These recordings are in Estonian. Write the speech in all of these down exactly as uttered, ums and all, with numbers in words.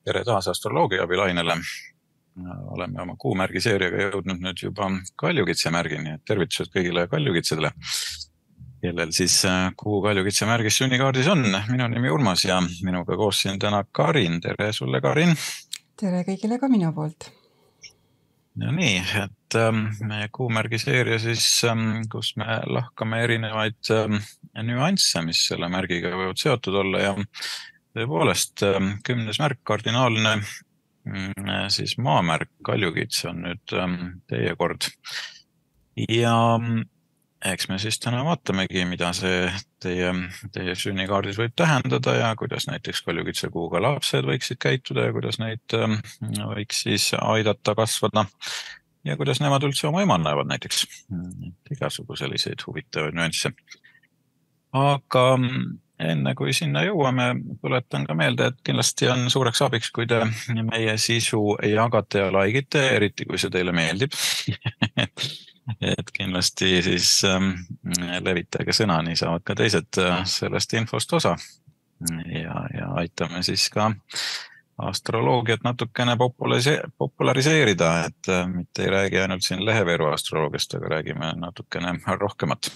Tere taas astroloogia abilainele. Oleme oma kuumärgi seeriaga jõudnud nüüd juba kaljukitse märgini. Tervitused kõigile kaljukitsedele, kellel siis kuu kaljukitse märgis sünnikaardis on. Minu nimi Urmas ja minuga koos siin täna Karin. Tere sulle, Karin. Tere kõigile ka minu poolt. No nii, et meie kuumärgi seeria siis, kus me lahkame erinevaid nüansse, mis selle märgiga võivad seotud olla ja tõepoolest kümnes märk, kardinaalne siis maamärk, kaljukitse on nüüd teie kord. Ja eks me siis täna vaatamegi, mida see teie, teie sünnikaardis võib tähendada ja kuidas näiteks kaljukitse kuuga lapsed võiksid käituda ja kuidas neid võiks siis aidata kasvada ja kuidas nemad üldse oma ema näevad näiteks. Igasugu selliseid huvitavaid nüansse. Aga enne kui sinna jõuame, tuletan ka meelde, et kindlasti on suureks abiks, kui te meie sisu jagate ja laikite, eriti kui see teile meeldib. Et kindlasti siis levitage sõna, nii saavad ka teised sellest infost osa. Ja, ja aitame siis ka astroloogiat natukene populariseerida, et mitte ei räägi ainult siin leheveeru astroloogiast, aga räägime natukene rohkemat.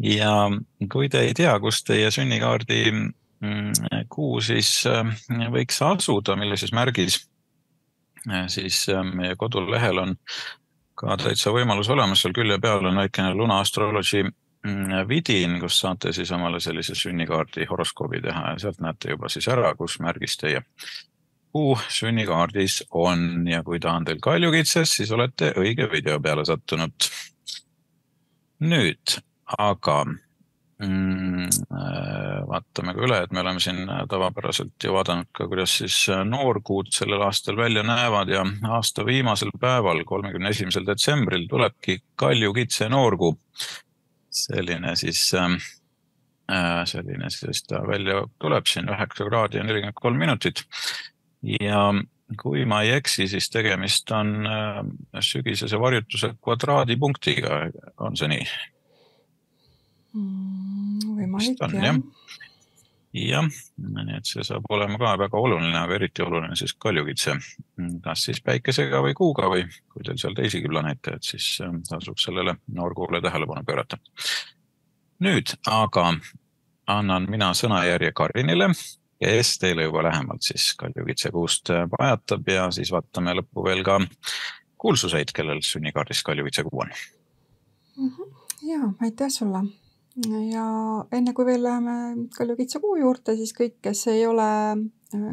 Ja kui te ei tea, kus teie sünnikaardi kuu siis võiks asuda, millises märgis, siis meie kodulehel on ka täitsa võimalus olemas, seal külje peal on väikene Luna Astrology vidin, kus saate siis omale sellise sünnikaardi horoskoobi teha ja sealt näete juba siis ära, kus märgis teie kuu sünnikaardis on ja kui ta on teil kaljukitses, siis olete õige video peale sattunud. Nüüd, aga vaatame ka üle, et me oleme siin tavapäraselt ju vaadanud ka, kuidas siis noorkuud sellel aastal välja näevad ja aasta viimasel päeval, kolmekümne esimesel detsembril tulebki kaljukitse noorkuu. Selline siis, selline siis ta välja tuleb siin üheksa kraadi ja nelikümmend kolm minutit. Ja kui ma ei eksi, siis tegemist on sügisese varjutuse kvadraadipunktiga, on see nii? Võimalik, on, jah. Jah, nii et see saab olema ka väga oluline, aga eriti oluline siis kaljukitse. Kas siis päikesega või kuuga või kui teil seal teisigi planeete, et siis tasub sellele noorkuule tähelepanu pöörata. Nüüd aga annan mina sõnajärje Karinile, kes teile juba lähemalt siis kaljukitse kuust pajatab ja siis vaatame lõppu veel ka kuulsuseid, kellel sünnikaardis kaljukitse kuu on. Jaa, aitäh sulle. Ja enne kui veel läheme kaljukitse kuu juurde, siis kõik, kes ei ole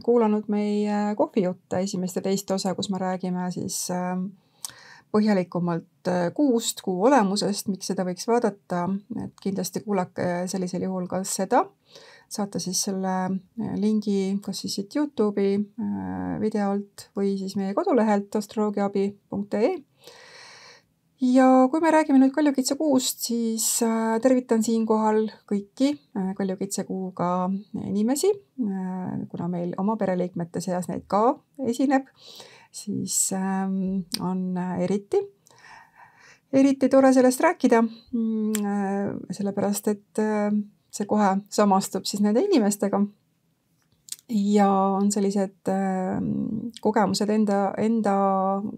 kuulanud meie kohvijutte esimest ja teist osa, kus me räägime siis põhjalikumalt kuust, kuu olemusest, miks seda võiks vaadata, et kindlasti kuulake sellisel juhul ka seda. Saate siis selle lingi kas siis siit YouTube'i videolt või siis meie kodulehelt astroloogiaabi punkt ee. Ja kui me räägime nüüd kaljukitse kuust, siis tervitan siinkohal kõiki kaljukitse kuuga inimesi, kuna meil oma pereliikmete seas neid ka esineb, siis on eriti, eriti tore sellest rääkida, sellepärast, et see kohe samastub siis nende inimestega ja on sellised kogemused enda, enda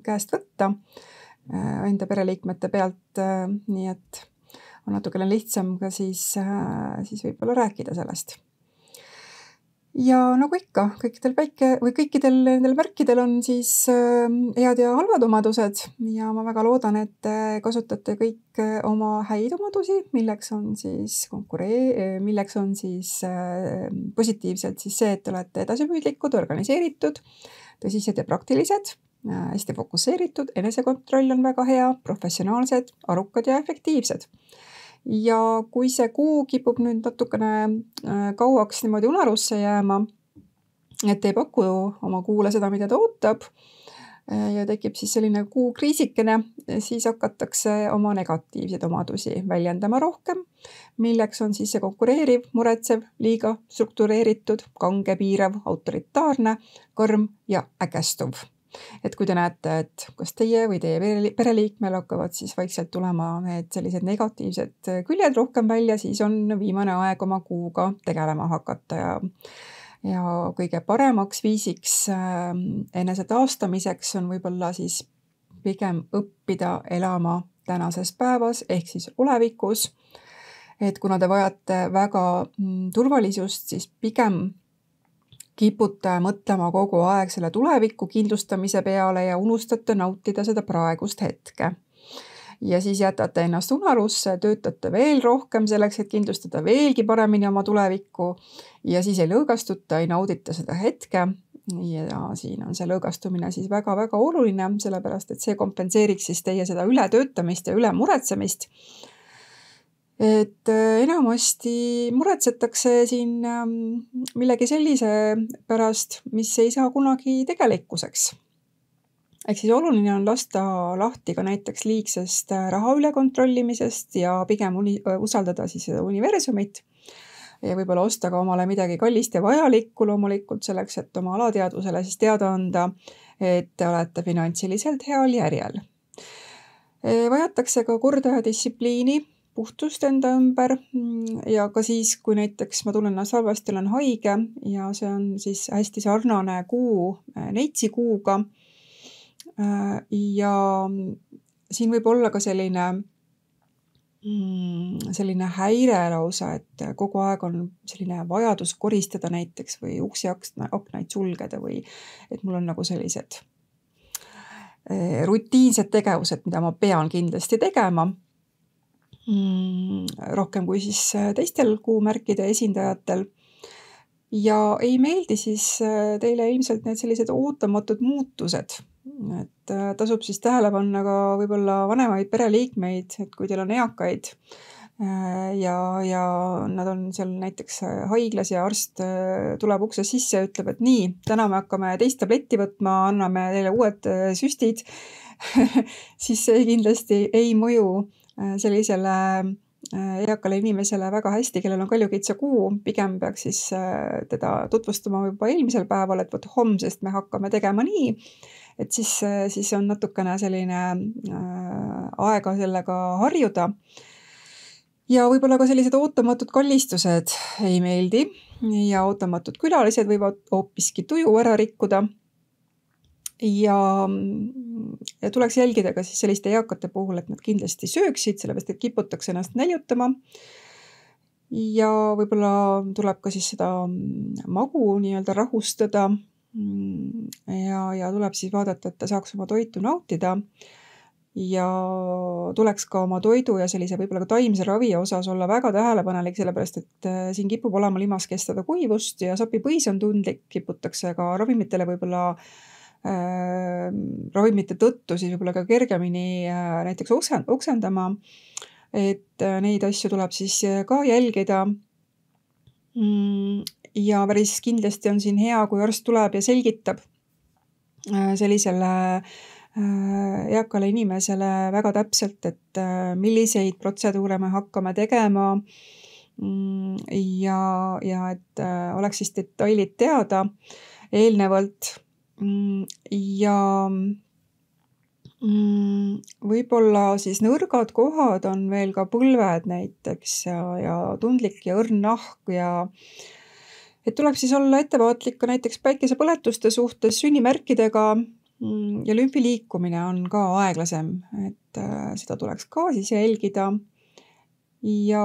käest võtta, enda pereliikmete pealt, nii et on natukene lihtsam ka siis, siis võib-olla rääkida sellest. Ja nagu ikka, kõikidel, päike, või kõikidel nendel märkidel on siis head ja halvad omadused ja ma väga loodan, et te kasutate kõik oma häid omadusi, milleks on siis konkuree-, milleks on siis positiivselt siis see, et te olete edasipüüdlikud, organiseeritud, tõsised ja praktilised, hästi fokusseeritud, enesekontroll on väga hea, professionaalsed, arukad ja efektiivsed. Ja kui see kuu kipub nüüd natukene kauaks niimoodi unarusse jääma, et ei paku oma kuule seda, mida ta ootab, ja tekib siis selline kuu kriisikene, siis hakatakse oma negatiivseid omadusi väljendama rohkem, milleks on siis see konkureeriv, muretsev, liiga struktureeritud, kange, piirav, autoritaarne, kõrm ja ägestuv. Et kui te näete, et kas teie või teie pereliikmel hakkavad siis vaikselt tulema need sellised negatiivsed küljed rohkem välja, siis on viimane aeg oma kuuga tegelema hakata ja ja kõige paremaks viisiks enese taastamiseks on võib-olla siis pigem õppida elama tänases päevas ehk siis olevikus. Et kuna te vajate väga turvalisust, siis pigem kipute mõtlema kogu aeg selle tuleviku kindlustamise peale ja unustate nautida seda praegust hetke. Ja siis jätate ennast unarusse, töötate veel rohkem selleks, et kindlustada veelgi paremini oma tulevikku ja siis ei lõõgastuta, ei naudita seda hetke. Ja siin on see lõõgastumine siis väga-väga oluline, sellepärast et see kompenseeriks siis teie seda ületöötamist ja ülemuretsemist. Et enamasti muretsetakse siin millegi sellise pärast, mis ei saa kunagi tegelikkuseks. Ehk siis oluline on lasta lahti ka näiteks liigsest raha ülekontrollimisest ja pigem uni- usaldada siis universumit ja võib-olla osta ka omale midagi kallist ja vajalikku loomulikult selleks, et oma alateadvusele siis teada anda, et te olete finantsiliselt heal järjel. Vajatakse ka korda ja distsipliini, puhtust enda ümber ja ka siis, kui näiteks ma tunnen ennast halvasti, olen haige ja see on siis hästi sarnane kuu neitsi kuuga. Ja siin võib olla ka selline, selline häire lausa, et kogu aeg on selline vajadus koristada näiteks või uksi aknaid sulgeda või et mul on nagu sellised rutiinsed tegevused, mida ma pean kindlasti tegema. Rohkem kui siis teistel kuumärkide esindajatel. Ja ei meeldi siis teile ilmselt need sellised ootamatud muutused. Et tasub siis tähele panna ka võib-olla vanemaid pereliikmeid, et kui teil on eakaid ja, ja nad on seal näiteks haiglas ja arst tuleb ukse sisse ja ütleb, et nii, täna me hakkame teist tabletti võtma, anname teile uued süstid, siis see kindlasti ei mõju sellisele eakale inimesele väga hästi, kellel on kaljukitsa kuu, pigem peaks siis teda tutvustama juba eelmisel päeval, et võt homsest me hakkame tegema nii, et siis, siis on natukene selline aega sellega harjuda. Ja võib-olla ka sellised ootamatud kallistused ei meeldi ja ootamatud külalised võivad hoopiski tuju ära rikkuda. Ja, ja tuleks jälgida ka siis selliste eakate puhul, et nad kindlasti sööksid, sellepärast et kiputakse ennast näljutama. Ja võib-olla tuleb ka siis seda magu nii-öelda rahustada ja, ja tuleb siis vaadata, et ta saaks oma toitu nautida ja tuleks ka oma toidu ja sellise võib-olla ka taimse ravi osas olla väga tähelepanelik, sellepärast et siin kipub olema limas kestada kuivust ja sapipõis on tundlik, kiputakse ka ravimitele võib-olla äh, ravimite tõttu siis võib-olla ka kergemini äh, näiteks oksendama, et neid asju tuleb siis ka jälgida. Ja päris kindlasti on siin hea, kui arst tuleb ja selgitab sellisele eakale inimesele väga täpselt, et milliseid protseduure me hakkame tegema ja, ja et oleks siis detailid teada eelnevalt ja võib-olla siis nõrgad kohad on veel ka põlved näiteks ja, ja tundlik ja õrn nahk ja et tuleb siis olla ettevaatlik ka näiteks päikesepõletuste suhtes sünnimärkidega ja lümfi liikumine on ka aeglasem, et seda tuleks ka siis jälgida. Ja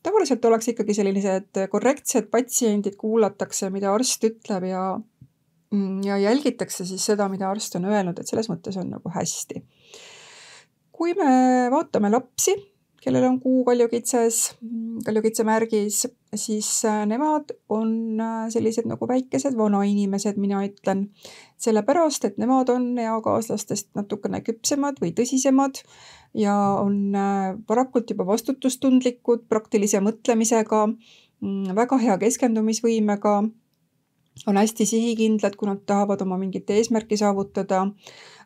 tavaliselt oleks ikkagi sellised korrektsed patsiendid, kuulatakse, mida arst ütleb ja, ja jälgitakse siis seda, mida arst on öelnud, et selles mõttes on nagu hästi. Kui me vaatame lapsi, kellel on kuu kaljukitses, kaljukitse märgis, siis nemad on sellised nagu väikesed vanainimesed, mina ütlen, sellepärast, et nemad on eakaaslastest natukene küpsemad või tõsisemad ja on varakult juba vastutustundlikud, praktilise mõtlemisega, väga hea keskendumisvõimega, on hästi sihikindlad, kui nad tahavad oma mingit eesmärki saavutada,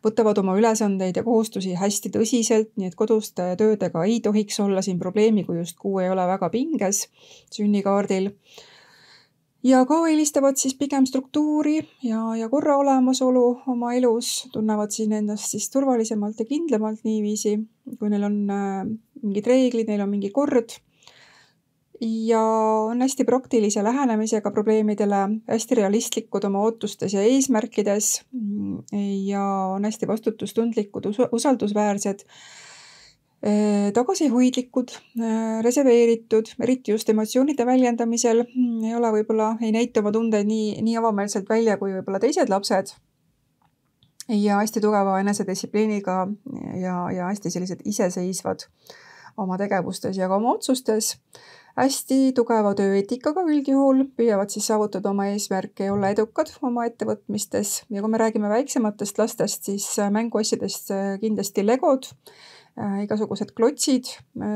võtavad oma ülesandeid ja kohustusi hästi tõsiselt, nii et koduste töödega ei tohiks olla siin probleemi, kui just kuu ei ole väga pinges sünnikaardil. Ja ka eelistavad siis pigem struktuuri ja, ja korra olemasolu oma elus, tunnevad siin endast siis turvalisemalt ja kindlamalt niiviisi, kui neil on mingid reeglid, neil on mingi kord. ja on hästi praktilise lähenemisega probleemidele, hästi realistlikud oma ootustes ja eesmärkides ja on hästi vastutustundlikud, usaldusväärsed, tagasihoidlikud, reserveeritud, eriti just emotsioonide väljendamisel, ei ole võib-olla, ei näita oma tundeid nii, nii avameelselt välja kui võib-olla teised lapsed ja hästi tugeva enesedistsipliiniga ja, ja hästi sellised iseseisvad oma tegevustes ja ka oma otsustes. Hästi tugeva tööeetikaga üldjuhul, püüavad siis saavutada oma eesmärke ja olla edukad oma ettevõtmistes. Ja kui me räägime väiksematest lastest, siis mänguasjadest kindlasti legod, igasugused klotsid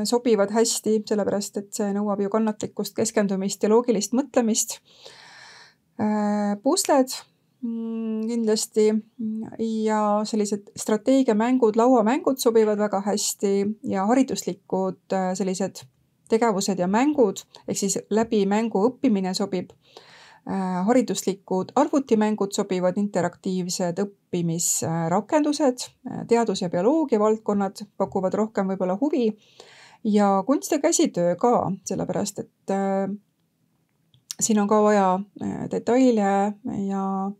sobivad hästi, sellepärast et see nõuab ju kannatlikkust, keskendumist ja loogilist mõtlemist. Pusled kindlasti ja sellised strateegiamängud, lauamängud sobivad väga hästi ja hariduslikud sellised tegevused ja mängud, ehk siis läbi mängu õppimine sobib. Hariduslikud arvutimängud sobivad, interaktiivsed õppimisrakendused, teadus- ja bioloogia valdkonnad pakuvad rohkem võib-olla huvi ja kunst ja käsitöö ka, sellepärast et äh, siin on ka vaja detaile ja,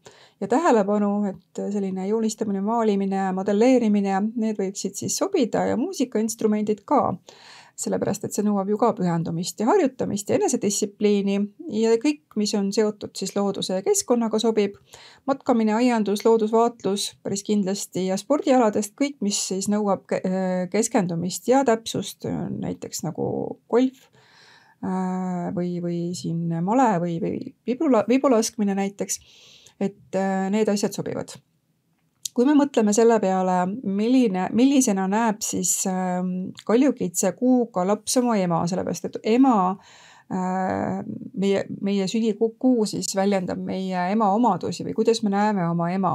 ja tähelepanu, et selline joonistamine, maalimine, modelleerimine, need võiksid siis sobida ja muusikainstrumendid ka. Sellepärast, et see nõuab ju ka pühendumist ja harjutamist ja enesedistsipliini ja kõik, mis on seotud siis looduse ja keskkonnaga sobib. Matkamine, aiandus, loodusvaatlus päris kindlasti ja spordialadest kõik, mis siis nõuab keskendumist ja täpsust, näiteks nagu golf või, või siin male või, või vibula, vibulaskmine näiteks, et need asjad sobivad. Kui me mõtleme selle peale, milline, millisena näeb siis kaljukitse kuuga laps oma ema, sellepärast, et ema, meie, meie sünnikuu siis väljendab meie ema omadusi või kuidas me näeme oma ema.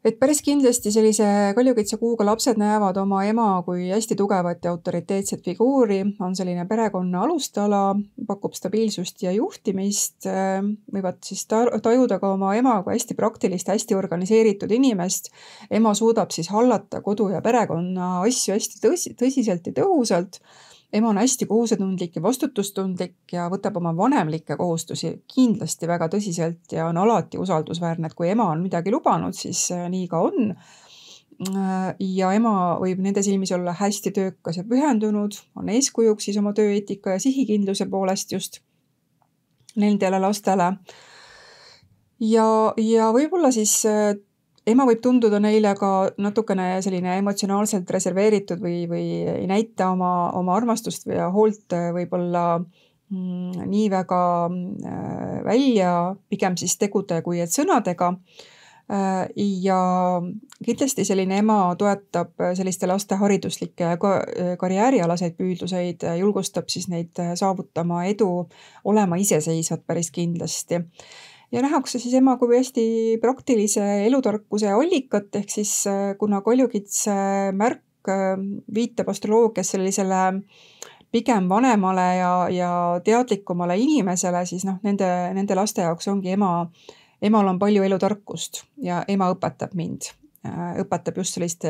Et päris kindlasti sellise kaljukitse kuuga lapsed näevad oma ema kui hästi tugevat ja autoriteetset figuuri, on selline perekonna alustala, pakub stabiilsust ja juhtimist, võivad siis tajuda ka oma ema kui hästi praktilist, hästi organiseeritud inimest. Ema suudab siis hallata kodu ja perekonna asju hästi tõsi, tõsiselt ja tõhusalt. Ema on hästi kohusetundlik ja vastutustundlik ja võtab oma vanemlikke kohustusi kindlasti väga tõsiselt ja on alati usaldusväärne, et kui ema on midagi lubanud, siis nii ka on. Ja ema võib nende silmis olla hästi töökas ja pühendunud, on eeskujuks siis oma tööeetika ja sihikindluse poolest just nendele lastele. Ja, ja võib-olla siis ema võib tunduda neile ka natukene selline emotsionaalselt reserveeritud või, või ei näita oma, oma armastust või hoolt võib-olla mm, nii väga äh, välja, pigem siis tegude kui et sõnadega. Äh, ja kindlasti selline ema toetab selliste laste hariduslikke ja ka, karjäärialaseid püüdluseid, julgustab siis neid saavutama edu, olema iseseisvad päris kindlasti. Ja nähakse siis ema kui hästi praktilise elutarkuse allikat, ehk siis kuna kaljukitse märk viitab astroloogias sellisele pigem vanemale ja, ja teadlikumale inimesele, siis noh, nende, nende laste jaoks ongi ema, emal on palju elutarkust ja ema õpetab mind, õpetab just sellist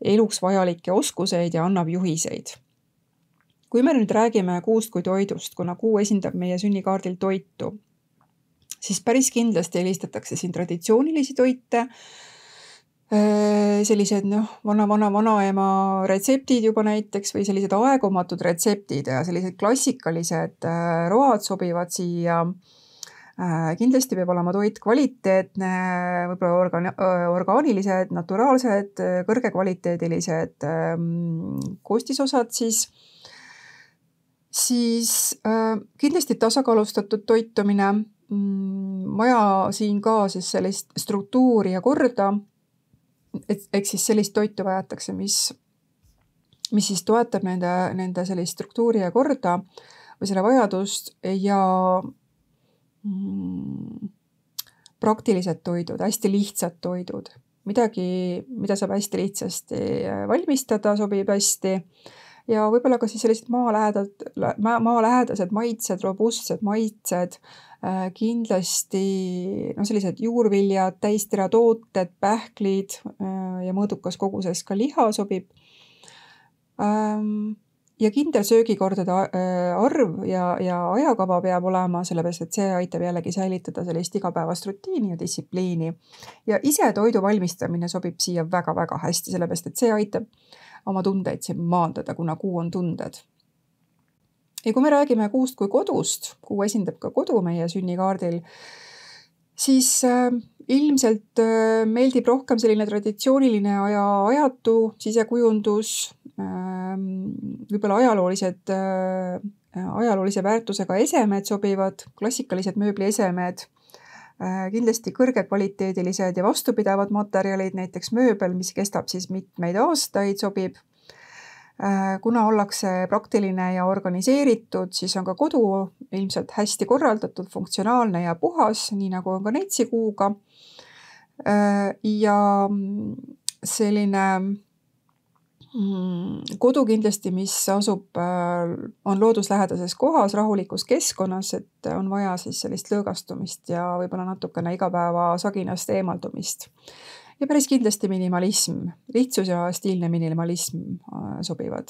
eluks vajalikke oskuseid ja annab juhiseid. Kui me nüüd räägime kuust kui toidust, kuna kuu esindab meie sünnikaardil toitu, siis päris kindlasti eelistatakse siin traditsioonilisi toite, sellised noh, vana, vana, vanaema retseptid juba näiteks või sellised aegumatud retseptid ja sellised klassikalised road sobivad siia. Kindlasti peab olema toit kvaliteetne, võib-olla orga, orgaanilised, naturaalsed, kõrgekvaliteedilised koostisosad siis. Siis kindlasti tasakaalustatud toitumine, vaja siin ka siis sellist struktuuri ja korda, et eks siis sellist toitu vajatakse, mis, mis siis toetab nende, nende sellist struktuuri ja korda või selle vajadust ja mm, praktilised toidud, hästi lihtsad toidud. Midagi, mida saab hästi lihtsasti valmistada, sobib hästi ja võib-olla ka siis sellised maalähedad, maalähedased maitsed, robustsed maitsed, kindlasti no sellised juurviljad, täisteratooted, pähklid ja mõõdukas koguses ka liha sobib. ja kindel söögikordade arv ja, ja ajakava peab olema, sellepärast et see aitab jällegi säilitada sellist igapäevast rutiini ja distsipliini. Ja ise toidu valmistamine sobib siia väga-väga hästi, sellepärast et see aitab oma tundeid siin maandada, kuna kuu on tunded. Ja kui me räägime kuust kui kodust, kuu esindab ka kodu meie sünnikaardil, siis äh, ilmselt äh, meeldib rohkem selline traditsiooniline ja ajatu sisekujundus, äh, võib-olla ajaloolised, äh, ajaloolise väärtusega esemed sobivad, klassikalised mööbliesemed, äh, kindlasti kõrgekvaliteedilised ja vastupidavad materjalid, näiteks mööbel, mis kestab siis mitmeid aastaid, sobib. Kuna ollakse praktiline ja organiseeritud, siis on ka kodu ilmselt hästi korraldatud, funktsionaalne ja puhas, nii nagu on ka neitsikuuga. Ja selline kodu kindlasti, mis asub, on looduslähedases kohas, rahulikus keskkonnas, et on vaja siis sellist lõõgastumist ja võib-olla natukene igapäeva saginast eemaldumist. Ja päris kindlasti minimalism, lihtsus ja stiilne minimalism sobivad.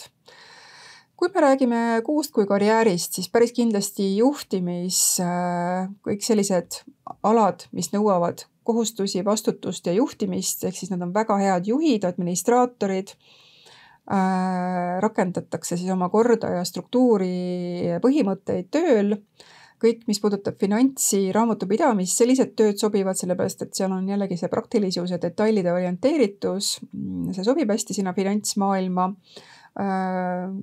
Kui me räägime kuust kui karjäärist, siis päris kindlasti juhtimis, kõik sellised alad, mis nõuavad kohustusi, vastutust ja juhtimist, ehk siis nad on väga head juhid, administraatorid, rakendatakse siis oma korda ja struktuuri põhimõtteid tööl. Kõik, mis puudutab finantsi, raamatupidamist, sellised tööd sobivad, sellepärast, et seal on jällegi see praktilisus ja detailide orienteeritus. See sobib hästi sinna finantsmaailma.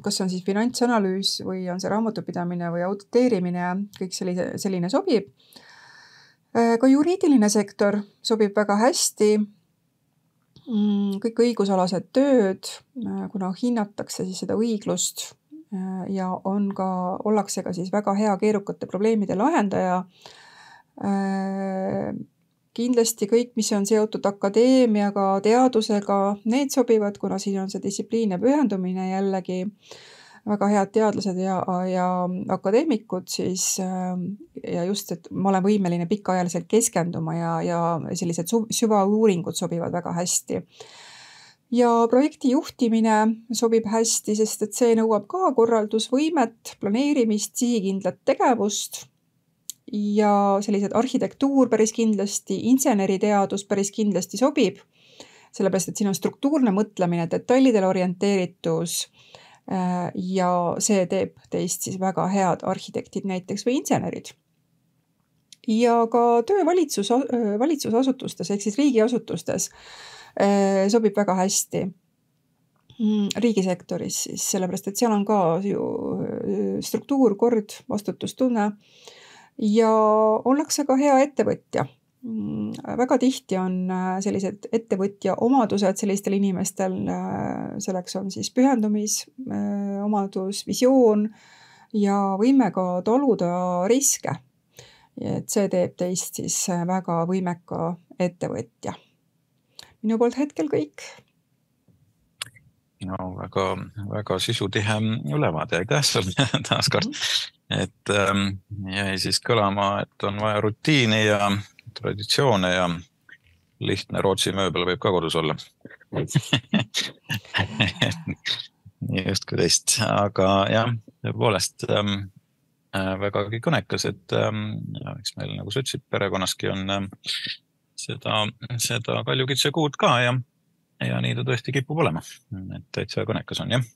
Kas on siis finantsanalüüs või on see raamatupidamine või auditeerimine, kõik selline, selline sobib. Ka juriidiline sektor sobib väga hästi. Kõik õigusalased tööd, kuna hinnatakse siis seda õiglust, ja on ka, ollakse ka siis väga hea keerukate probleemide lahendaja. Kindlasti kõik, mis on seotud akadeemiaga, teadusega, need sobivad, kuna siin on see distsipliin ja pühendumine jällegi väga head teadlased ja, ja akadeemikud, siis ja just, et ma olen võimeline pikaajaliselt keskenduma ja, ja sellised süvauuringud sobivad väga hästi. Ja projekti juhtimine sobib hästi, sest et see nõuab ka korraldusvõimet, planeerimist, sihikindlat tegevust ja sellised arhitektuur päris kindlasti, inseneriteadus päris kindlasti sobib, sellepärast et siin on struktuurne mõtlemine, detailidele orienteeritus ja see teeb teist siis väga head arhitektid näiteks või insenerid. Ja ka töö valitsus, valitsusasutustes ehk siis riigiasutustes sobib väga hästi riigisektoris, siis sellepärast, et seal on ka ju struktuur, kord, vastutustunne ja ollakse ka hea ettevõtja. Väga tihti on sellised ettevõtja omadused sellistel inimestel, selleks on siis pühendumis, omadus, visioon ja võime ka taluda riske. Et see teeb teist siis väga võimeka ettevõtja. Minu poolt hetkel kõik. No väga, väga sisutihe ülevaade, aitäh sulle taas kord. Et ähm, jäi siis kõlama, et on vaja rutiini ja traditsioone ja lihtne Rootsi mööbel võib ka kodus olla. Nii just kui teist, aga jah, tõepoolest ähm, vägagi kõnekas, et ähm, ja, eks meil nagu sa ütlesid, perekonnaski on ähm, seda, seda kaljukitse kuud ka ja, ja nii ta tõesti kipub olema, et täitsa kõnekas on, jah.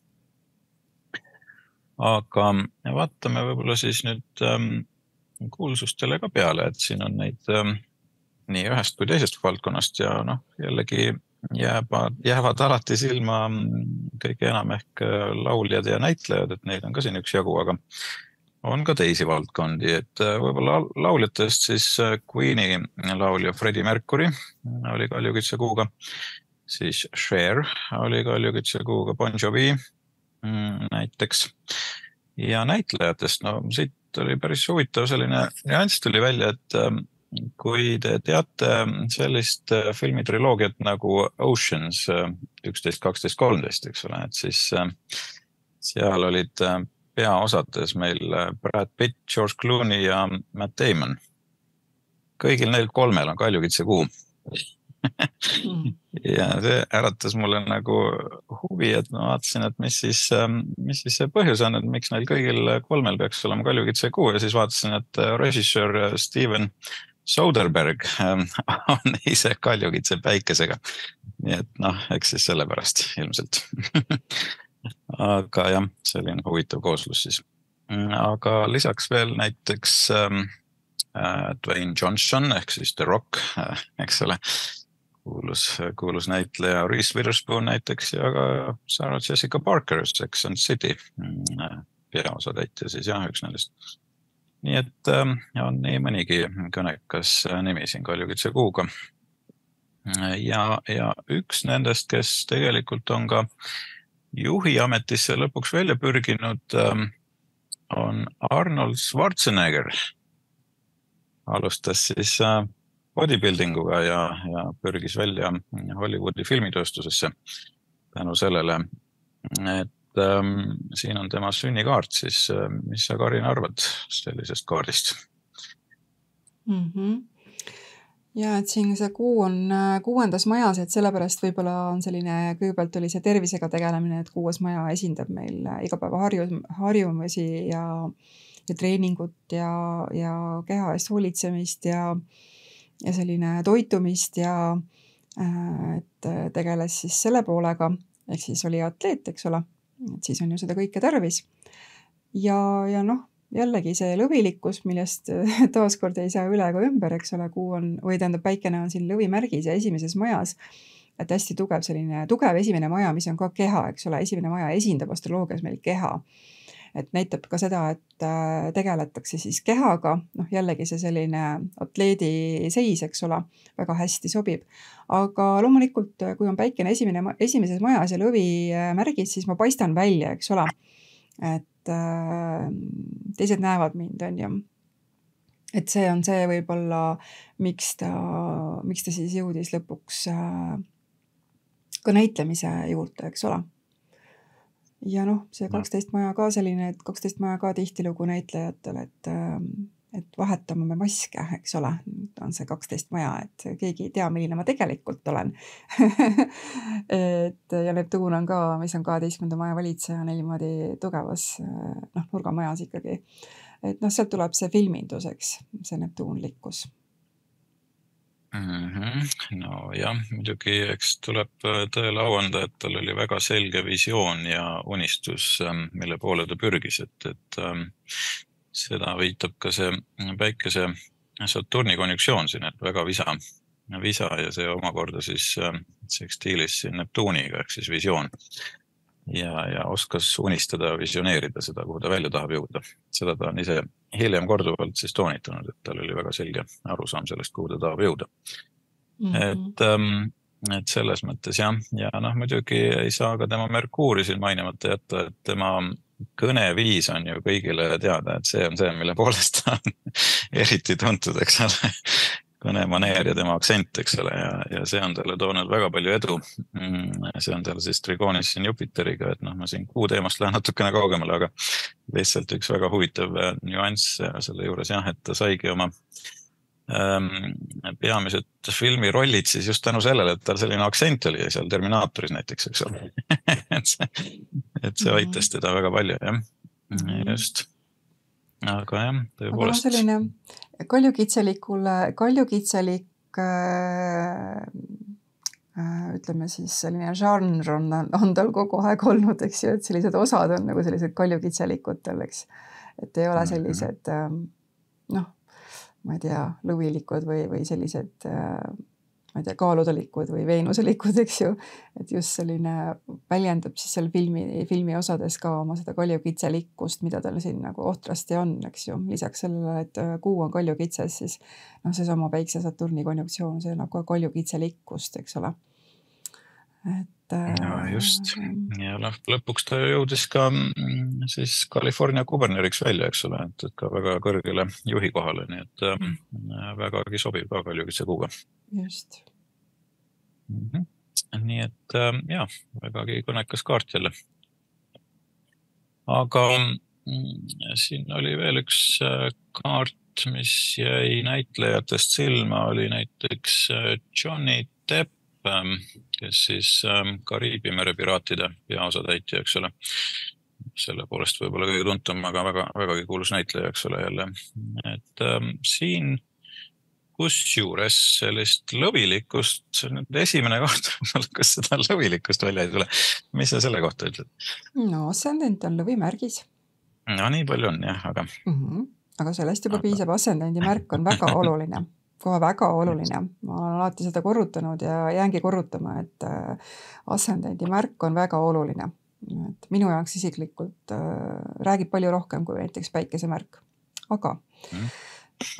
Aga vaatame võib-olla siis nüüd ähm, kuulsustele ka peale, et siin on neid ähm, nii ühest kui teisest valdkonnast ja noh, jällegi jäävad, jäävad alati silma kõige enam ehk lauljad ja näitlejad, et neid on ka siin üks jagu, aga on ka teisi valdkondi, et võib-olla lauljatest siis Queeni laulja Freddie Mercury oli kaljukitse kuuga, siis Cher oli kaljukitse kuuga, Bon Jovi näiteks ja näitlejatest, no siit oli päris huvitav selline nüanss tuli välja, et kui te teate sellist filmitriloogiat nagu Oceans üksteist, kaksteist, kolmteist, eks ole, et siis seal olid peaosades meil Brad Pitt, George Clooney ja Matt Damon. Kõigil neil kolmel on kaljukitse kuu. Mm. ja see äratas mulle nagu huvi, et ma vaatasin, et mis siis, mis siis see põhjus on, et miks neil kõigil kolmel peaks olema kaljukitsekuu ja siis vaatasin, et režissöör Steven Soderbergh on ise kaljukitse päikesega. Nii et noh, eks siis sellepärast ilmselt. Aga jah, selline huvitav kooslus siis. Aga lisaks veel näiteks ähm, Dwayne Johnson ehk siis The Rock, eks ole, kuulus, kuulus näitleja Reese Witherspoon näiteks ja ka Sarah Jessica Parker, Sex and City peaosatäitja siis jah, üks nendest. Nii et ähm, on nii mõnigi kõnekas nimi siin kaljukitsekuuga. Ja, ja üks nendest, kes tegelikult on ka juhi ametisse lõpuks välja pürginud, on Arnold Schwarzenegger. Alustas siis bodybuildinguga ja, ja pürgis välja Hollywoodi filmitööstusesse tänu sellele, et ähm, siin on tema sünnikaart, siis mis sa, Karin, arvad sellisest kaardist? Mm-hmm. Ja, et siin see kuu on kuuendas majas, et sellepärast võib-olla on selline, kõigepealt oli see tervisega tegelemine, et kuues maja esindab meil igapäeva harju, harjumisi ja, ja treeningut ja, ja keha eest hoolitsemist ja, ja selline toitumist ja et tegeles siis selle poolega, ehk siis oli atleet, eks ole, et siis on ju seda kõike tarvis. Ja, ja noh, jällegi see lõvilikkus, millest taaskord ei saa üle ega ümber, eks ole, kuu on, või tähendab päikene on siin lõvimärgis ja esimeses majas, et hästi tugev selline, tugev esimene maja, mis on ka keha, eks ole, esimene maja esindab astroloogias meil keha. Et näitab ka seda, et tegeletakse siis kehaga, noh jällegi see selline atleedi seis, eks ole, väga hästi sobib. Aga loomulikult, kui on päikene esimene, esimeses majas ja lõvi märgis, siis ma paistan välja, eks ole, et teised näevad mind, on ju. Et see on see võib-olla, miks ta, miks ta siis jõudis lõpuks ka näitlemise juurde, eks ole. Ja noh, see kaksteist maja ka selline, et kaksteist maja ka tihtilugu näitlejatel, et, et vahetame me maske, eks ole, on see kaksteist maja, et keegi ei tea, milline ma tegelikult olen. et, ja Neptuun on ka, mis on kaheteistkümnenda maja valitseja niimoodi tugevas noh, nurgamajas ikkagi. Et noh, sealt tuleb see filminduseks, see neptuunlikkus. Mm-hmm. No jah, muidugi eks tuleb tõele au anda, et tal oli väga selge visioon ja unistus, mille poole ta pürgis, et, et seda viitab ka see päikese Saturni konjunktsioon siin, et väga visa, visa ja see omakorda siis sekstiilis siin Neptuuniga, ehk siis visioon. Ja, ja oskas unistada, visioneerida seda, kuhu ta välja tahab jõuda. Seda ta on ise hiljem korduvalt siis toonitanud, et tal oli väga selge arusaam sellest, kuhu ta tahab jõuda. Mm-hmm. Et, et selles mõttes jah, ja noh, muidugi ei saa ka tema Merkuuri siin mainimata jätta, et tema kõneviis on ju kõigile teada, et see on see, mille poolest ta on eriti tuntud, eks ole. Kõnemaneer ja tema aktsent, eks ole, ja, ja see on talle toonud väga palju edu. See on tal siis trigoonis siin Jupiteriga, et noh, ma siin kuu teemast lähen natukene kaugemale, aga lihtsalt üks väga huvitav nüanss selle juures jah, et ta saigi oma ähm, peamised filmirollid siis just tänu sellele, et tal selline aktsent oli seal Terminaatoris näiteks, eks ole. et, see, et see aitas teda väga palju, jah. Just. Aga jah, tõepoolest. Aga selline kaljukitselikule, kaljukitselik äh, ütleme siis selline žanr on, on tal kogu aeg olnud, eks ju, et sellised osad on nagu sellised kaljukitselikutel, eks. Et ei ole sellised äh, noh, ma ei tea, lõvilikud või, või sellised äh, ma ei tea, kaaludelikud või veenuselikud, eks ju, et just selline väljendab siis seal filmi, filmi osades ka oma seda kaljukitselikkust, mida tal siin nagu ohtrasti on, eks ju. Lisaks sellele, et kuu on kaljukitses, siis noh, see sama päikse Saturni konjunktsioon, see nagu kaljukitselikkust, eks ole. Et, ja just, ja lõpuks ta jõudis ka siis California kuberneriks välja, eks ole, et ka väga kõrgele juhi kohale, nii et mm. vägagi sobib ka kaljukitsekuuga. Just. Mm-hmm. Nii et jah, vägagi kõnekas kaart jälle. Aga siin oli veel üks kaart, mis jäi näitlejatest silma, oli näiteks Johnny Depp, kes siis Kariibi mere piraatide peaosatäitja, eks ole. Selle poolest võib-olla kõige tuntum, aga väga, vägagi kuulus näitleja, eks ole jälle. Et ähm, siin kus juures sellist lõvilikkust, esimene koht, kas seda lõvilikkust välja ei tule. Mis sa selle kohta ütled? No ascendent on lõvimärgis. No nii palju on jah, aga... Mm-hmm. Aga sellest juba aga... piisab, ascendendi märk on väga oluline. Kohe väga oluline. Ma olen alati seda korrutanud ja jäängi korrutama, et ascendendi märk on väga oluline. Et minu jaoks isiklikult äh, räägib palju rohkem kui näiteks päikesemärk. Aga mm.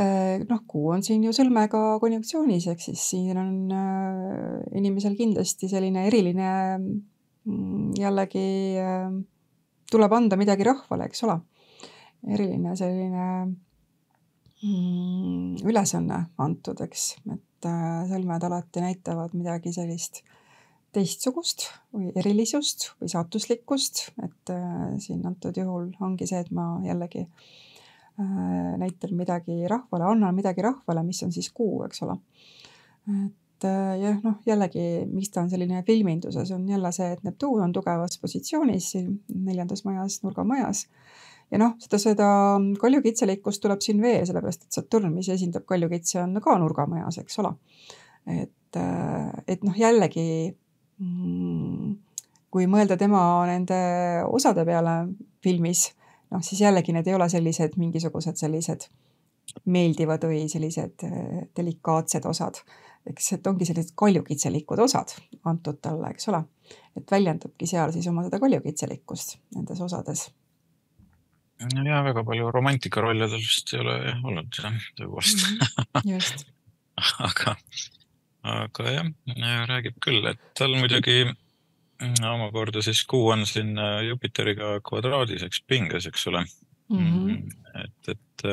äh, noh, kuu on siin ju sõlmega konjunktsioonis, ehk siis siin on äh, inimesel kindlasti selline eriline mm, jällegi äh, tuleb anda midagi rahvale, eks ole. Eriline selline mm, ülesanne antud, eks, et äh, sõlmed alati näitavad midagi sellist teistsugust või erilisust või saatuslikkust, et äh, siin antud juhul ongi see, et ma jällegi äh, näitan midagi rahvale, annan midagi rahvale, mis on siis kuu, eks ole. Et äh, jah, noh, jällegi, miks ta on selline filminduses, on jälle see, et Neptuun on tugevas positsioonis siin neljandas majas, nurgamajas. Ja noh, seda, seda kaljukitselikkust tuleb siin veel, sellepärast, et Saturn, mis esindab kaljukitse, on ka nurgamajas, eks ole. Et, äh, et noh, jällegi kui mõelda tema nende osade peale filmis, noh siis jällegi need ei ole sellised mingisugused sellised meeldivad või sellised delikaatsed osad. Eks et ongi sellised kaljukitselikud osad antud talle, eks ole. Et väljendabki seal siis oma seda kaljukitselikkust nendes osades. Ja väga palju romantika rollidel vist ei ole olnud, tõepoolest. Mm-hmm. Just. aga Aga jah, räägib küll, et tal muidugi omakorda siis kuu on siin Jupiteriga kvadraadiseks pinges, eks ole. Mm-hmm. Et, et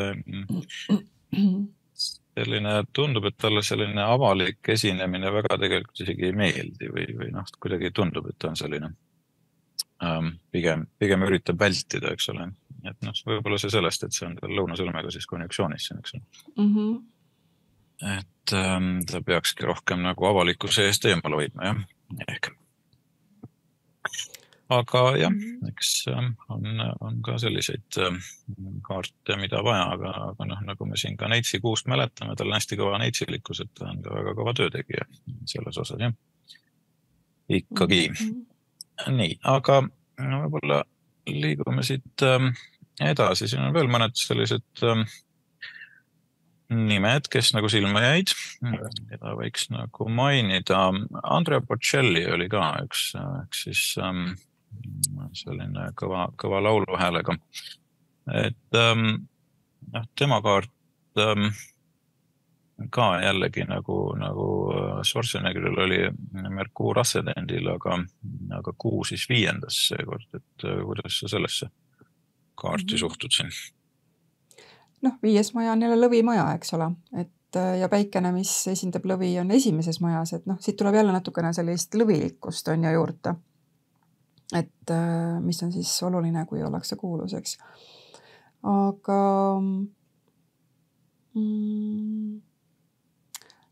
selline tundub, et talle selline avalik esinemine väga tegelikult isegi ei meeldi või, või noh, kuidagi tundub, et ta on selline ähm, pigem, pigem üritab vältida, eks ole. Et noh, võib-olla see sellest, et see on tal lõunasõlmega siis konjunksioonis, eks ole. Mm-hmm. Et ähm, ta peakski rohkem nagu avalikkuse eest eemal hoidma, jah, ehk. Aga jah, eks ähm, on, on ka selliseid ähm, kaarte, mida vaja, aga, aga noh, nagu me siin ka Neitsi kuust mäletame, tal on hästi kõva neitsilikkus, et ta on ka väga kõva töötegija selles osas, jah. Ikkagi. Mm-hmm. Nii, aga no, võib-olla liigume siit ähm, edasi, siin on veel mõned sellised... Ähm, nimed, kes nagu silma jäid, keda võiks nagu mainida. Andrea Bocelli oli ka üks, üks siis um, selline kõva, kõva lauluhäälega. Et um, tema kaart um, ka jällegi nagu, nagu Schwarzeneggeril oli Merkuur ascendendil, aga, aga kuu siis viiendas seekord. Et kuidas sa sellesse kaarti mm-hmm. suhtud siin? Noh, viies maja on jälle lõvimaja, eks ole, et ja päikene, mis esindab lõvi, on esimeses majas, et noh, siit tuleb jälle natukene sellist lõvilikkust on ja juurde, et mis on siis oluline, kui ollakse kuulus, eks. Aga mm,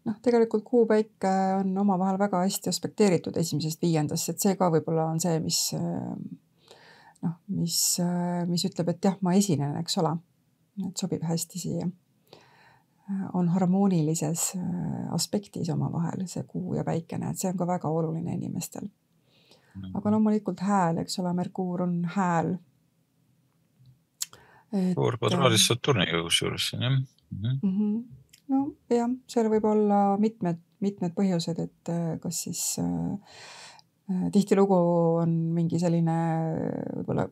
noh, tegelikult kuu päike on oma vahel väga hästi aspekteeritud esimesest viiendast, et see ka võib-olla on see, mis, noh, mis, mis ütleb, et jah, ma esinen, eks ole. Et sobib hästi siia. On harmoonilises aspektis oma vahel see kuu ja päikene, et see on ka väga oluline inimestel. Aga loomulikult hääl, eks ole, Merkuur on hääl. Kuur kvadraadis Saturniga kusjuures siin, jah? Mm-hmm. No jah, seal võib olla mitmed, mitmed põhjused, et kas siis äh, tihtilugu on mingi selline võib-olla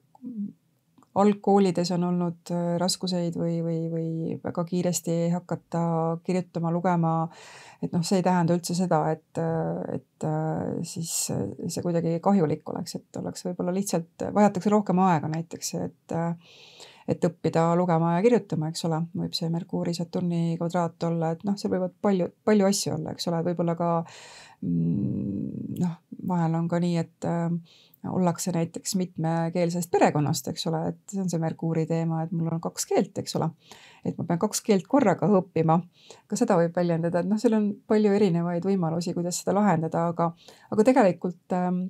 algkoolides on olnud raskuseid või, või, või väga kiiresti hakata kirjutama, lugema, et noh, see ei tähenda üldse seda, et, et siis see kuidagi kahjulik oleks, et oleks võib-olla lihtsalt, vajatakse rohkem aega näiteks, et, et õppida lugema ja kirjutama, eks ole, võib see Merkuuri Saturni kvadraat olla, et noh, see võivad palju, palju asju olla, eks ole, võib-olla ka noh, vahel on ka nii, et ollakse näiteks mitmekeelsest perekonnast, eks ole, et see on see Merkuuri teema, et mul on kaks keelt, eks ole. et ma pean kaks keelt korraga õppima. Ka seda võib väljendada, et noh, seal on palju erinevaid võimalusi, kuidas seda lahendada, aga, aga tegelikult ähm,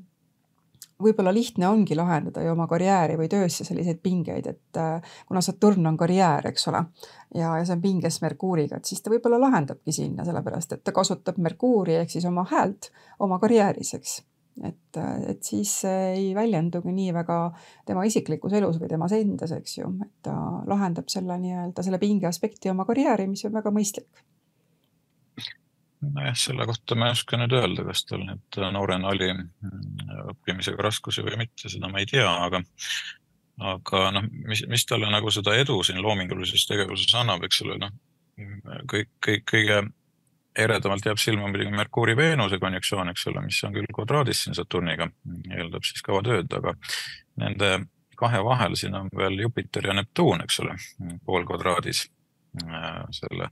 võib-olla lihtne ongi lahendada ju oma karjääri või töösse selliseid pingeid, et äh, kuna Saturn on karjäär, eks ole, ja, ja see on pinges Merkuuriga, et siis ta võib-olla lahendabki sinna, sellepärast et ta kasutab Merkuuri ehk siis oma häält oma karjääris, eks. Et, et siis ei väljendugi nii väga tema isiklikus elus või temas endas, eks ju, et ta lahendab selle nii-öelda selle pinge aspekti oma karjääri, mis on väga mõistlik. Nojah, selle kohta ma ei oska nüüd öelda, kas tal nüüd noorena oli õppimisega raskusi või mitte, seda ma ei tea, aga, aga noh, mis, mis talle nagu seda edu siin loomingulises tegevuses annab, eks ole, noh, kõik, kõik, kõige eredamalt jääb silma muidugi Merkuuri-Veenuse konjunktsioon, eks ole, mis on küll kvadraadis siin Saturniga, eeldab siis kaua tööd, aga nende kahe vahel siin on veel Jupiter ja Neptuun, eks ole, pool kvadraadis selle,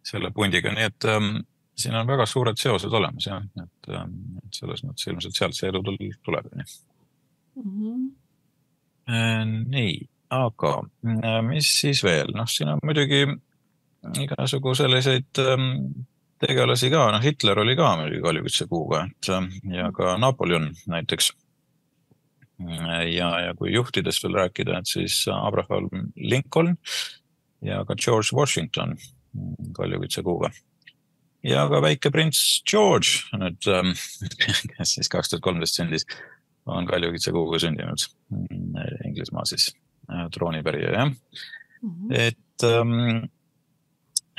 selle pundiga, nii et ähm, siin on väga suured seosed olemas, jah, et, et selles mõttes ilmselt sealt see edu tuleb. Nii. Mm-hmm. nii, aga mis siis veel? Noh, siin on muidugi igasugu selliseid tegelasi ka, noh, Hitler oli ka muidugi Kaljukütse kuuga, et ja ka Napoleon näiteks. Ja, ja kui juhtidest veel rääkida, et siis Abraham Lincoln ja ka George Washington Kaljukütse kuuga. Ja ka väike prints George, nüüd, kes siis kaks tuhat kolmteist sündis, on Kaljukütse kuuga sündinud. Inglismaa siis troonipärija, jah. Mm-hmm. Et,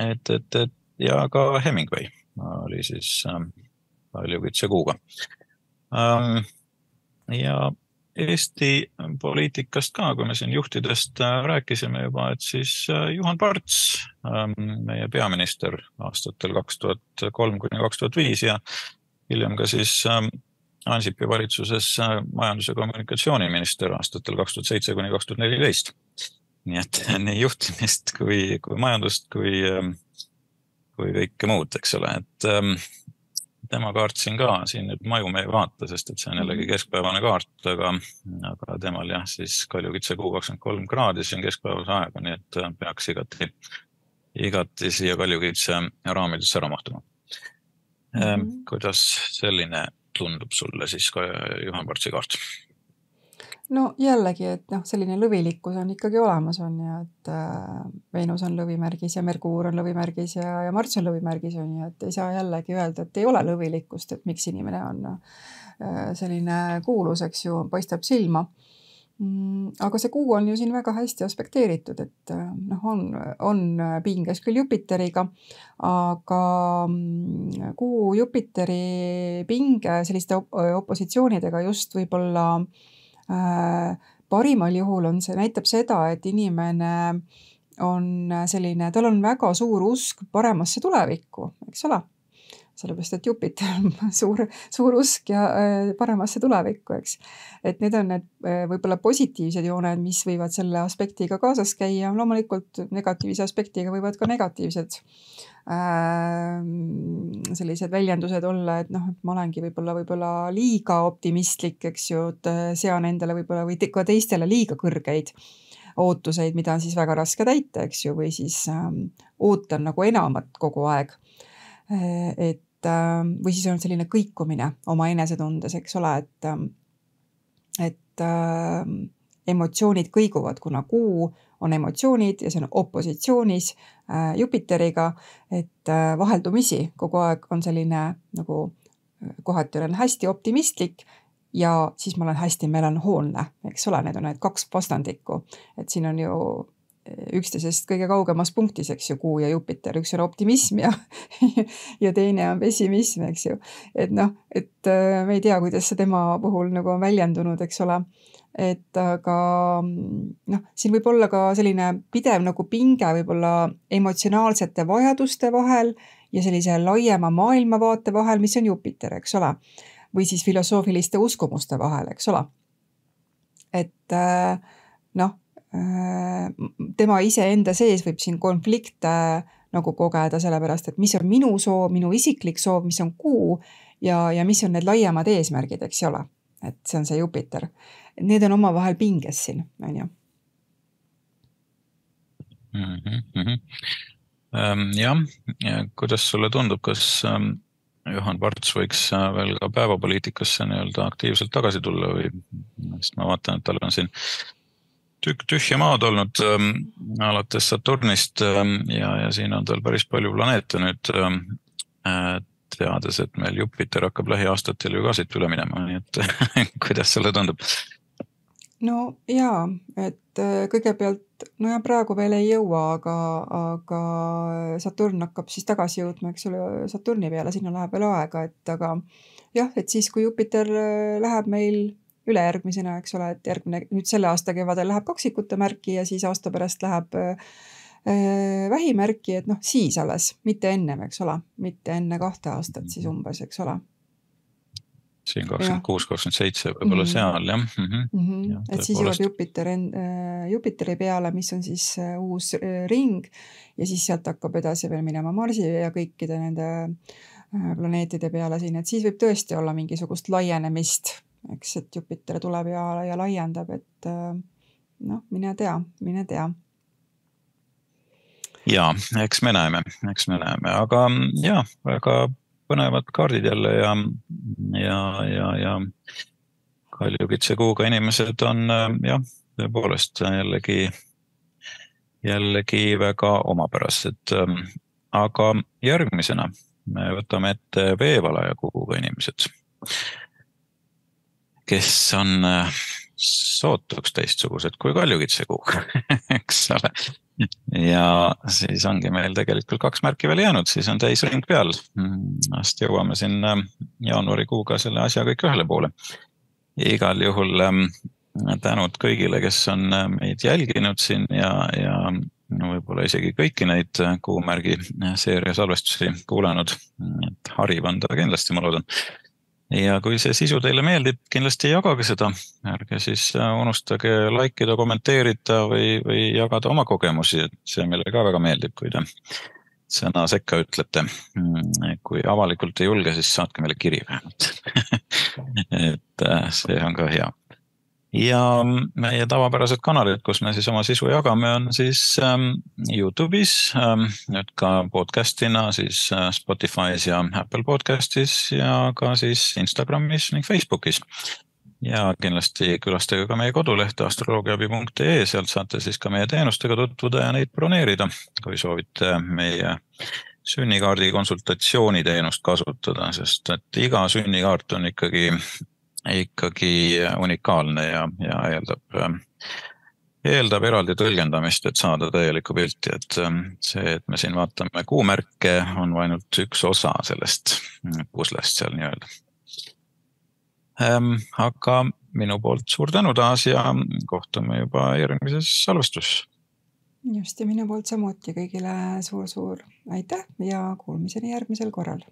et, et, et, ja ka Hemingway oli siis Kaljukütse kuuga. Ja Eesti poliitikast ka, kui me siin juhtidest rääkisime juba, et siis Juhan Parts, meie peaminister aastatel kaks tuhat kolm kuni kaks tuhat viis ja hiljem ka siis Ansipi valitsuses majandus- ja kommunikatsiooniminister aastatel kaks tuhat seitse kuni kaks tuhat neliteist. Nii et nii juhtimist kui, kui majandust kui, kui kõike muud, eks ole, et tema kaart siin ka, siin nüüd maju me ei vaata, sest et see on jällegi keskpäevane kaart, aga, aga temal jah, siis Kaljukütse kuu kakskümmend kolm kraadi, see on keskpäevase aega, nii et peaks igati, igati siia Kaljukütse raamidesse ära mahtuma. Mm-hmm. Kuidas selline tundub sulle siis ka Juhan Partsi kaart? No jällegi, et noh, selline lõvilikkus on ikkagi olemas on ja et äh, Veenus on lõvimärgis ja Merkuur on lõvimärgis ja, ja Marts on lõvimärgis on ja et ei saa jällegi öelda, et ei ole lõvilikkust, et miks inimene on äh, selline kuulus, eks ju, paistab silma. Mm, aga see kuu on ju siin väga hästi aspekteeritud, et äh, noh, on, on pinges küll Jupiteriga, aga mm, kuu Jupiteri pinge selliste op- opositsioonidega just võib-olla Äh, parimal juhul on see, näitab seda, et inimene on selline, tal on väga suur usk paremasse tulevikku, eks ole? Sellepärast, et Jupiter on suur, suur usk ja äh, paremasse tulevikku, eks. Et need on need äh, võib-olla positiivsed jooned, mis võivad selle aspektiga kaasas käia. Loomulikult negatiivse aspektiga võivad ka negatiivsed äh, sellised väljendused olla, et noh, ma olengi võib-olla, võib-olla liiga optimistlik, eks ju, et sean endale võib-olla või te, ka teistele liiga kõrgeid ootuseid, mida on siis väga raske täita, eks ju, või siis äh, ootan nagu enamat kogu aeg. Et või siis on selline kõikumine oma enesetundes, eks ole, et, et äh, emotsioonid kõiguvad, kuna kuu on emotsioonid ja see on opositsioonis äh, Jupiteriga, et äh, vaheldumisi kogu aeg on selline nagu kohati olen hästi optimistlik ja siis ma olen hästi melanhoolne, eks ole, need on need kaks vastandikku, et siin on ju üksteisest kõige kaugemas punktis, eks ju, kuu ja Jupiter, üks on optimism ja, ja teine on pessimism, eks ju. Et noh, et me ei tea, kuidas see tema puhul nagu on väljendunud, eks ole. Et aga noh, siin võib olla ka selline pidev nagu pinge võib-olla emotsionaalsete vajaduste vahel ja sellise laiema maailmavaate vahel, mis on Jupiter, eks ole. Või siis filosoofiliste uskumuste vahel, eks ole. Et noh, tema ise enda sees võib siin konflikte nagu kogeda, sellepärast, et mis on minu soov, minu isiklik soov, mis on kuu ja, ja mis on need laiemad eesmärgid, eks ole. Et see on see Jupiter. Need on oma vahel pinges siin, on ju. mm. -hmm. Jah, kuidas sulle tundub, kas Juhan Parts võiks veel ka päevapoliitikasse nii-öelda aktiivselt tagasi tulla või, sest ma vaatan, et tal on siin tükk tühja maad olnud ähm, alates Saturnist ähm, ja, ja siin on tal päris palju planeete nüüd ähm, teades, et meil Jupiter hakkab lähiaastatel ju ka siit üle minema, nii et kuidas sulle tundub? No jaa, et kõigepealt, no ja praegu veel ei jõua, aga, aga Saturn hakkab siis tagasi jõudma, eks ole, Saturni peale, sinna läheb veel aega, et aga jah, et siis kui Jupiter läheb meil ülejärgmisena, eks ole, et järgmine, nüüd selle aasta kevadel läheb kaksikute märki ja siis aasta pärast läheb äh, vähimärki, et noh, siis alles, mitte ennem, eks ole, mitte enne kahte aastat siis umbes, eks ole. Siin kakskümmend kuus kakskümmend seitse võib-olla mm -hmm. seal, jah. Mm -hmm. Mm -hmm. Ja, et siis jõuab Jupiter en, äh, Jupiteri peale, mis on siis äh, uus äh, ring ja siis sealt hakkab edasi veel minema Marsi ja kõikide nende äh, planeetide peale siin, et siis võib tõesti olla mingisugust laienemist, eks, et Jupiter tuleb ja, ja laiendab, et äh, noh, mine tea, mine tea. Ja, eks me näeme, eks me näeme, aga ja, väga põnevad kaardid jälle ja, ja, ja, ja Kaljukitse kuuga inimesed on jah, tõepoolest jällegi, jällegi väga omapärased. Aga järgmisena me võtame ette veevalaja kuuga inimesed, kes on sootuks teistsugused kui Kaljukitse kuuga, eks ole. Ja siis ongi meil tegelikult kaks märki veel jäänud, siis on täisring peal. Ast jõuame siin jaanuarikuuga selle asja kõik ühele poole. Igal juhul tänud kõigile, kes on meid jälginud siin ja, ja võib-olla isegi kõiki neid kuumärgi seeria salvestusi kuulanud. Et hariv on ta kindlasti, ma loodan. Ja kui see sisu teile meeldib, kindlasti jagage seda. Ärge siis unustage likeida, kommenteerida või, või jagada oma kogemusi. Et see meile ka väga meeldib, kui te sõna sekka ütlete. Kui avalikult ei julge, siis saatke meile kiri vähemalt. Et see on ka hea. Ja meie tavapärased kanalid, kus me siis oma sisu jagame, on siis YouTube'is, nüüd ka podcastina siis Spotify's ja Apple podcastis ja ka siis Instagramis ning Facebookis. Ja kindlasti külastage ka meie kodulehte astroloogiaabi punkt ee, sealt saate siis ka meie teenustega tutvuda ja neid broneerida, kui soovite meie sünnikaardi konsultatsiooniteenust kasutada, sest et iga sünnikaart on ikkagi ikkagi unikaalne ja, ja eeldab, eeldab eraldi tõlgendamist, et saada täielikku pilti, et see, et me siin vaatame kuumärke, on ainult üks osa sellest puslest seal nii-öelda. Aga minu poolt suur tänu taas ja kohtume juba järgmises salvestus. Just ja minu poolt samuti kõigile suur-suur aitäh ja kuulmiseni järgmisel korral.